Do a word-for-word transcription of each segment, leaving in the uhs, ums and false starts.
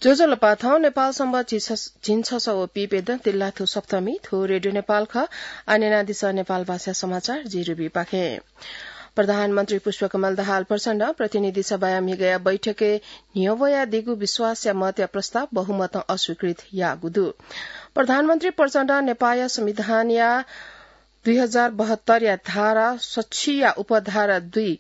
ज्वजलपा, थौं नेपाल संवत् झिंछ-, झिंछसः व पीप्यदँ तिल्लाथ्व सप्तमी, थ्व रेडियो नेपाल खः। आः न्यनादिसँ नेपाल भाषा समाचार, जि रुबी पाखें। प्रधानमन्त्री पुष्पकमल दाहाल प्रचण्डं प्रतिनिधि सभाया म्हिगःया बैठकय् न्ह्यवयादीगु विश्वासया मतया प्रस्ताव बहुमतं अस्वीकृत याःगु दु। प्रधानमन्त्री प्रचण्डं नेपाःया संविधानया दुई हजार बहत्तरया धारा सच्छिया उपधारा दुई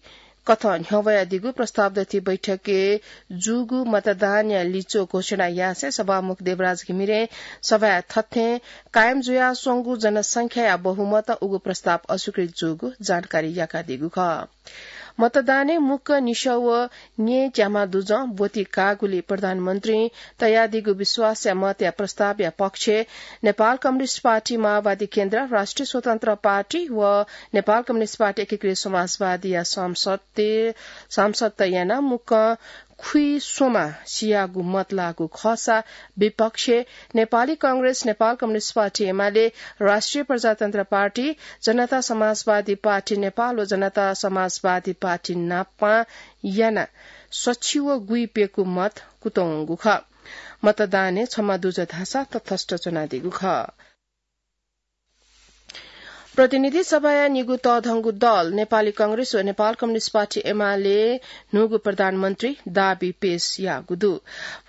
कथं न्ह्यवयादीगु प्रस्ताव दथि बैठकय् जूगु मतदानया लिच्वः घोषणा यासें सभामुख देवराज घिमिरें सभाय् थथें कायम जुयाच्वंगु जनसंख्याया बहुमतं उगु प्रस्ताव अस्वीकृत जूगु जानकारी याकादीगु खः। मतदानय् मुक्क निसः व न्येच्याम्ह दुजं ब्वति काःगुलिं प्रधानमन्त्रीं तयादीगु विश्वासया मतया प्रस्तावया पक्षय् नेपाल कम्युनिस्ट पार्टी, माओवादी केन्द्र, राष्ट्रिय स्वतन्त्र पार्टी व नेपाल कम्युनिस्ट पार्टी एकीकृत समाजवादीया सांसदत, सांसदत यानाः मुक्कं खुइस्वम्ह सियागु मत लाःगु खःसा विपक्षय् नेपाली कांग्रेस, नेपाल कम्युनिस्ट पार्टी एमाले, राष्ट्रिय प्रजातन्त्र पार्टी, जनता समाजवादी पार्टी नेपाल व जनता समाजवादी पार्टी नापं यानाः सच्छि व गुइप्यकू मत कुतुंगु खः। मतदानय् छम्ह दुजं धाःसा तटस्थ च्वनादीगु खः। प्रतिनिधि सभाया निगू तःधंगु दल नेपाली कांग्रेस व नेपाल कम्युनिस्ट पार्टी एमाले न्हूगु प्रधानमन्त्री दाबी पेश याःगु दु।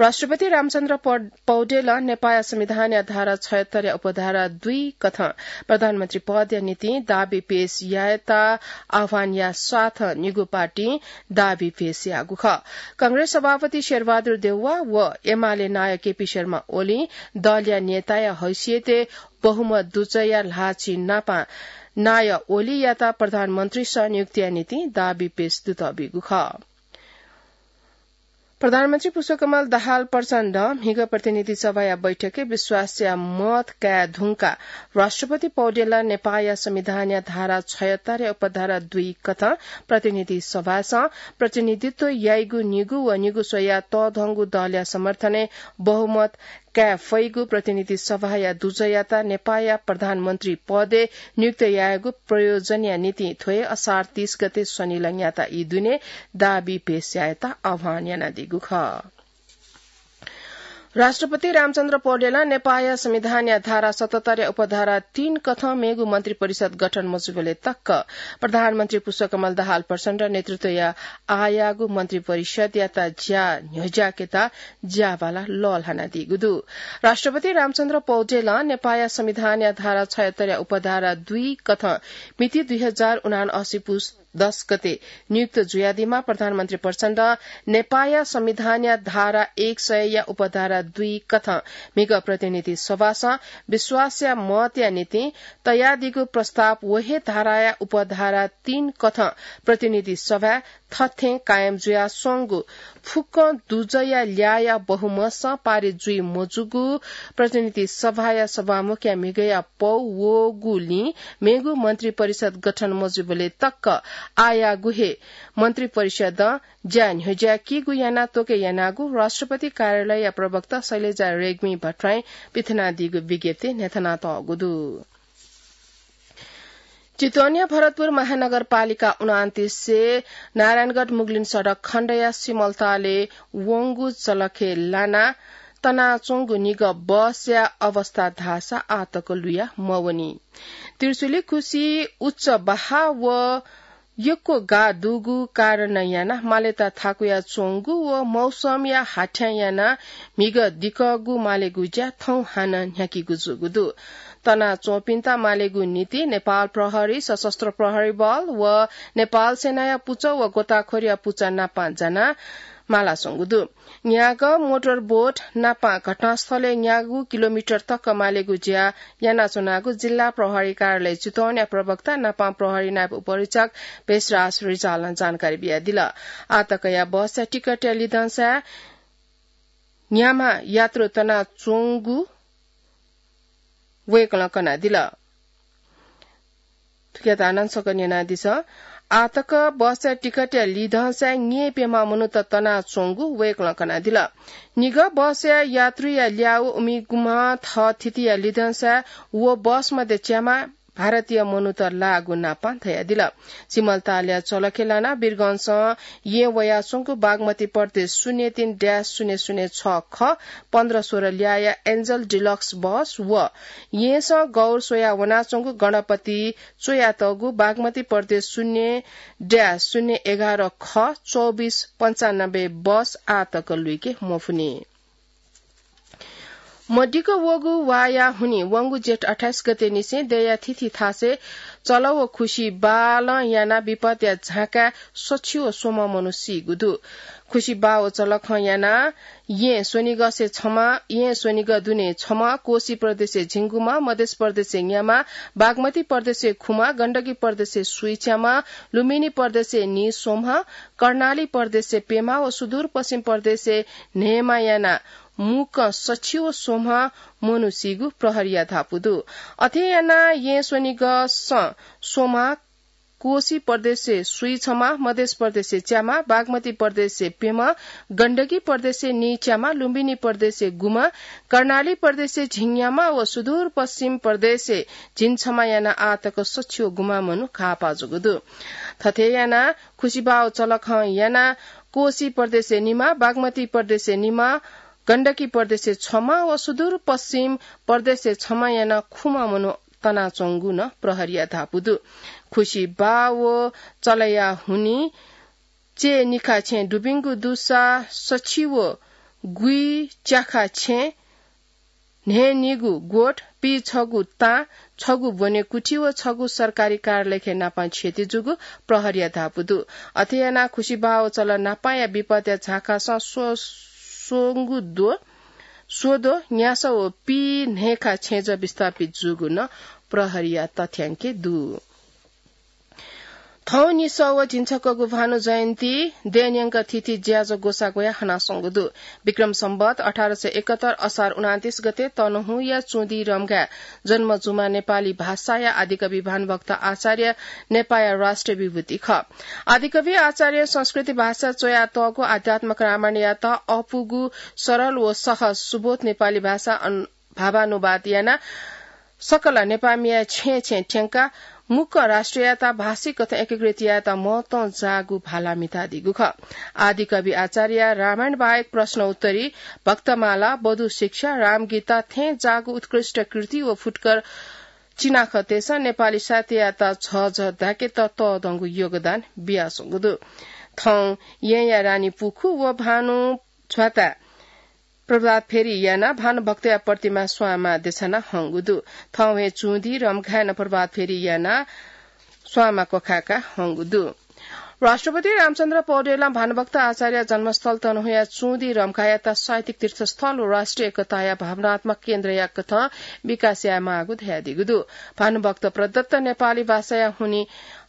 राष्ट्रपति रामचन्द्र पौ-, पौडेलं नेपाःया संविधानया धारा छयत्तरया उपधारा दुई कथं प्रधानमन्त्री पदया निंतिं दाबी पेश यायेत आह्वान याः साथ निगू पार्टीं दाबी पेश याःगु खः। कांग्रेस सभापति शेरबहादुर देउवा व एमाले नायः केपी शर्मा ओलीं दलया नेताया हैसियतय् बहुमत दुजःया ल्हाःचिं नापं नायः ओलीयात प्रधानमन्त्रीस नियुक्तिया निंतिं दाबी पेश दुत बीगु खः। प्रधानमन्त्री पुष्पकमल दाहाल प्रचण्डं म्हिगः प्रतिनिधि सभाया बैठकय् विश्वासया मत काये धुंकाः राष्ट्रपति पौडेलं नेपाःया संविधानया धारा छयत्तरया उपधारा दुई कथं प्रतिनिधि सभासं प्रतिनिधित्व याइगु निगू व निगू स्वयाः तःधंगु दलया समर्थनय् बहुमत काये फइगु प्रतिनिधि सभाया दुजःयात नेपाःया प्रधानमन्त्री पदय् नियुक्त यायेगु प्रयोजनया निंतिं थ्व हे असार तीस गते शनिलंयात ई दुने दाबी पेश यायेत आह्वान यानादीगु खः। राष्ट्रपति रामचन्द्र पौडेलं नेपाःया संविधानया धारा सतहत्तरया उपधारा तीन कथं मेगु मन्त्री परिषद गठन मजुबलय् तक प्रधानमन्त्री पुष्पकमल दाहाल प्रचण्ड नेतृत्वया आःयाःगु मन्त्री परिषदयात ज्या न्ह्यज्याकेत ज्याबाला लःल्हानादीगु दु। राष्ट्रपति रामचन्द्र पौडेलं नेपाःया संविधानया धारा छयत्तरया उपधारा दुई कथं मिति दुई हजार उनासी पुस दस गते नियुक्त जुयादीम्ह प्रधानमन्त्री प्रचण्डं नेपाःया संविधानया धारा एक सयया उपधारा दुई कथं म्हिगः प्रतिनिधि सभासं विश्वासया मतया निंतिं तयादीगु प्रस्ताव व हे धाराया उपधारा तीन कथं प्रतिनिधि सभाय् थथें कायम जुयाच्वंगु फुक्कं दुजःया ल्याःया बहुमतसं पारित जुइ मजूगु प्रतिनिधि सभाया सभामुखया म्हिगःया पौ वःगुलिं मेगु मन्त्री परिषद गठन मजुबलय् तक आःयाःगु हे मन्त्री परिषदं ज्या न्ह्यज्याकीगु यानाः त्वके यानागु राष्ट्रपति कार्यालयया प्रवक्ता शैलजा रेग्मी भट्टराईं पिथनादीगु विज्ञप्तिय् न्ह्यथनातःगु दु। चितवनया भरतपुर महानगरपालिका उनान्तिस नारायणगढ मुगलिन सडक खण्डया सिमलतालय् वंगु जलखय् लानाः तनाच्वंगु निगः बसया अवस्था धाःसा आःतक लुया मवनी। त्रिशुली खुसि उच्च बहाः व यक्व गाः दुगु कारणं यानाः मालय् थाकुयाच्वंगु व मौसमया हाथ्यां यानाः म्हिगः दिकःगु मालेगु ज्या थौं हानं न्ह्याकीगु जूगु दु। तनाच्वंपिन्त मालेगु निंतिं नेपाल प्रहरी, सशस्त्र प्रहरी बल व नेपाल सेनाया पुचः व गोताखोरया पुचः नापं जानाः मालाच्वंगु दु। न्यागः मोटर बोट नापं घटनास्थलय् न्यागू किलोमिटर तक मालेगु ज्या यानाच्वनागु जिल्ला प्रहरी कार्यालय चितवनया प्रवक्ता नापं प्रहरी नायब उपरीक्षक भेषराज रिजालं जानकारी बियादिल। आःतकया बसया टिकटया लिधंसाय् न्याम्ह यात्रु तनाच्वंगु वय्कलं कनादिल। थुकियात हानं छकः न्यनादिसँ। आःतक बसया टिकटया लिधंसाय् न्येप्यम्ह मनूत तनाच्वंगु वय्कलं कनादिल। निगः बसया यात्रुया ल्याः व उमिगुम्ह थःथितिया लिधंसाय् व बस मध्ये च्याम्ह भारतीय मनूत लाःगु नापां धयादिल। सिमलतालया चलखे लानाः वीरगंजसं येँ वयाच्वंगु बागमती प्रदेश शून्य तीन ड्यास शून्य शून्य छ ख पन्ध्र सोह्र ल्याःया एन्जल डिलक्स बस व येँसं गौर स्वयाः वनाच्वंगु गणपति च्वयातःगु बागमती प्रदेश शून्य ड्यास शून्य एघार ख चौबिस पन्चानब्बे बस आःतक लुइके मफुनि। मदिक्क वःगु वाःया हुनिं वंगु जेठ अट्ठाइस गते निसें दँया थीथी थासय् चलः व खुसि बालं यानाः विपदया झाँकाय् सछि व स्वम्ह मनू सीगु दु। खुसि बाः व चलखं यानाः येँ स्वनिगःसे छम्ह, येँ स्वनिगः दुने छम्ह, कोशी प्रदेशय् झिंगुम्ह, मधेश प्रदेशय् न्याम्ह, बागमती प्रदेशय् खुम्ह, गण्डकी प्रदेशय् स्वीच्याम्ह, लुम्बिनी प्रदेशय् नीस्वम्ह, कर्णाली प्रदेशय् प्यम्ह व सुदूरपश्चिम प्रदेशय् न्हय्म्ह यानाः मुक्कं सछि व स्वम्ह मनू सीगु प्रहरीया धापू दु। अथे यानाः येँ स्वनिगःसं स्वम्ह, कोशी प्रदेशय् स्वीछम्ह, मधेश प्रदेशय् च्याम्ह, बागमती प्रदेशय् प्यम्ह, गण्डकी प्रदेशय् नीच्याम्ह, लुम्बिनी प्रदेशय् गुम्ह, कर्णाली प्रदेशय् झिंन्याम्ह व सुदूरपश्चिम प्रदेशय् झिंछम्ह यानाः आःतक सछि व गुम्ह मनू घाःपाः जूगु दु। थथे यानाः खुसि बाः व चलखं यानाः कोशी प्रदेशय् निम्ह, बागमती प्रदेशय् निम्ह, गण्डकी प्रदेशय् छम्ह व सुदूरपश्चिम प्रदेशय् छम्ह यानाः खुम्ह मनू तनाच्वंगु नं प्रहरीया धापू दु। खुसि बाः व चलःया हुनिं चय् निखा छेँ दुबिंगु दुसा सछि व गुइ च्याखा छेँ न्हय्निगू गोठ, पीछगू तां, छगू ब्वनेकुथि व छगू सरकारी कार्यालयखे नापां क्षति जूगु प्रहरीया धापू दु। अथे यानाः खुसि बाः व चलः नापांया विपदया झाँकासं स्व-, स्वंगु द्व, स्वद्व, न्यासः व पीन्हय्खा छेँजः विस्थापित जूगु नं प्रहरीया तथ्यांकय् दु। थौं निसः व झिंछक्वःगु भानु जयन्ती दँय् न्यंक थीथी ज्याझ्वः ग्वसाः ग्वयाः हनाच्वंगु दु। विक्रम सम्वत अठार सय एकहत्तर असार उनान्तीस गते तनहुँया चुँदी रम्घाय् जन्म जूम्ह नेपाली भाषाया आदिकवि भानुभक्त आचार्य नेपाःया राष्ट्रिय विभूति खः। आदिकवि आचार्यं संस्कृति भाषाय् च्वयातःगु आध्यात्मक रामायणयात अःपुगु सरल व सहज सुबोध नेपाली भाषा अन-, भावानुवाद यानाः सकल नेपाःमिया छेँय् छेँय् थ्यंकाः मुक्कं राष्ट्रयात भाषिक कथं एकीकृत यायेत महत्वं जाःगु भाला म्हितादीगु खः। आदिकवि आचार्यया रामायण बाहेक प्रश्न उत्तरी, भक्तमाला, बधू शिक्षा, रामगीता थें जाःगु उत्कृष्ट कृति व फुटकर चिनाखँतय्सं नेपाली साहित्ययात झःझः धाकेत तःधंगु योगदान बियाच्वंगु दु। थौं येँया रानी पुखु व भानु झ्वाताय् प्रभात फेरी यानाः भानुभक्तया प्रतिमा स्वांमा देछाना हंगु दु। थौं हे चुँदी रम्घाय् नं प्रभात फेरी यानाः स्वांमा क्वखाय्का हंगु दु। राष्ट्रपति रामचन्द्र पौडेलं भानुभक्त आचार्य जन्मस्थल तनहुँया चुँदी रम्घाय्‌यात साहित्यिक तीर्थस्थल व राष्ट्रिय एकताया भावनात्मक केन्द्रया कथं विकास यायेमाःगु धयादीगु दु। भानुभक्त प्रदत्त नेपाली भाषाया हुनिं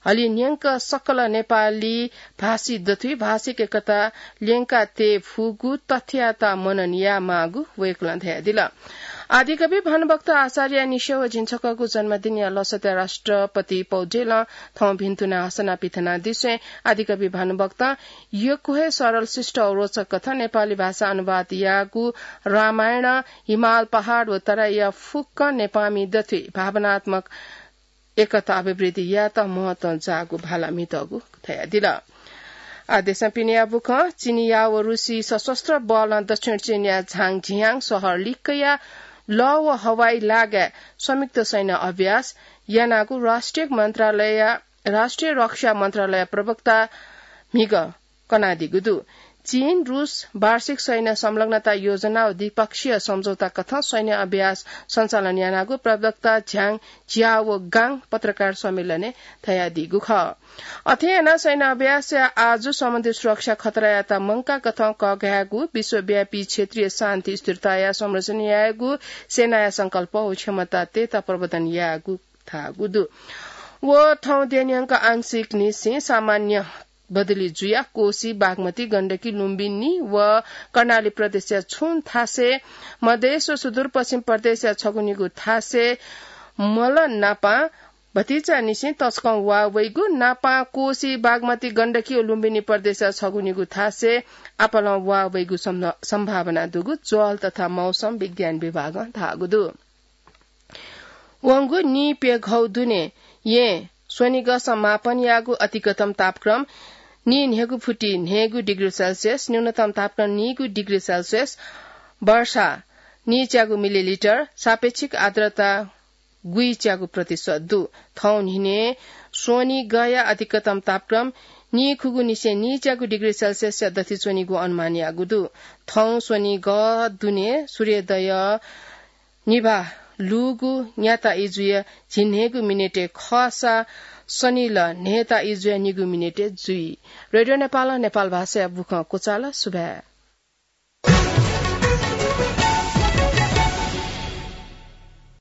हलिं न्यंक सकल नेपाली भाषी दथुइ भाषिक एकता ल्यंका तये फुगु तथ्ययात मनन यायेमाःगु वय्‌कलं धयादिल। आदिकवि भानुभक्त आचार्यया निसः व झिंछक्वःगु जन्मदिनया लसताय् राष्ट्रपति पौडेलं थौं भिन्तुना हसना पिथनादिसें आदिकवि भानुभक्तं यक्व हे सरल, शिष्ट व रोचक कथं नेपाली भाषा अनुवाद याःगु रामायण, हिमाल पहाड व तराईया फुक्क नेपाःमि दथुइ भावनात्मक एकता अभिवृद्धि यायेत महत्वं जाःगु भाला म्हितःगु धयादिल। आ देशं पिनेया बुखँ। चिनिया व रुसी सशस्त्र बलं दक्षिण चीनया झाङझियाङ शहर लिक्कया लः व हवाई लागाय् संयुक्त सैन्य अभ्यास यानागु राष्ट्रिय मन्त्रालय, राष्ट्रिय रक्षा मन्त्रालय प्रवक्ता म्हिगः कनादीगु दु। चीन, रुस वार्षिक सैन्य संलग्नता योजना व द्विपक्षीय सम्झौता कथं सैन्य अभ्यास सञ्चालन यानागु प्रवक्ता झ्याङ झ्याओ गाङ पत्रकार सम्मेलनय् धयादीगु खः। अथे यानाः सैन्य अभ्यासया आजु समुद्री सुरक्षा खतरायात मंकाः कथं कःघायेगु, विश्वव्यापी क्षेत्रीय शान्ति स्थिरताया संरक्षण यायेगु सेनाया संकल्प व क्षमता तयेत प्रवर्धन यायेगु धाःगु दु। व थौं दँय्‌न्यंक आंशिक निसें सामान्य बदली जुयाः कोशी, बागमती, गण्डकी, लुम्बिनी व कर्णाली प्रदेशया छुं थासय्, मधेश व सुदूरपश्चिम प्रदेशया छगू निगू थासय् मल नापां भतिचा निसें तसकं वा वइगु, नापां कोशी, बागमती, गण्डकी व लुम्बिनी प्रदेशया छगू निगू थासय् आपालं वा वइगु सम्भ-, सम्भावना दुगु ज्वल तथा मौसम विज्ञान विभागं धाःगु दु। वंगु नीप्यघौ दुने यें स्वनिगः समापन याःगु अतिकतम तापक्रम नीन्हय्गु फुति न्हय्गु डिग्री सेल्सियस, न्यूनतम तापक्रम नीगु डिग्री सेल्सियस, वर्षा नीच्यागु मिलिलिटर, सापेक्षिक आर्द्रता गुइच्यागु प्रतिशत दु। थौं न्हिने स्वनिगःया अतिकतम तापक्रम नीखुगु निसें नीच्यागु डिग्री सेल्सियसया दथि च्वनीगु अनुमान याःगु दु। थौं स्वनिगः दुने सूर्योदय निभाः लूगु न्याता इजुया झिन्हय्गु मिनेटय् खःसा सनिल न्हय्ता इजुया निगू मिनेटय् जुइ। रेडियो नेपालं नेपाल भाषाया बुखँ क्वचाल। सुभाय्।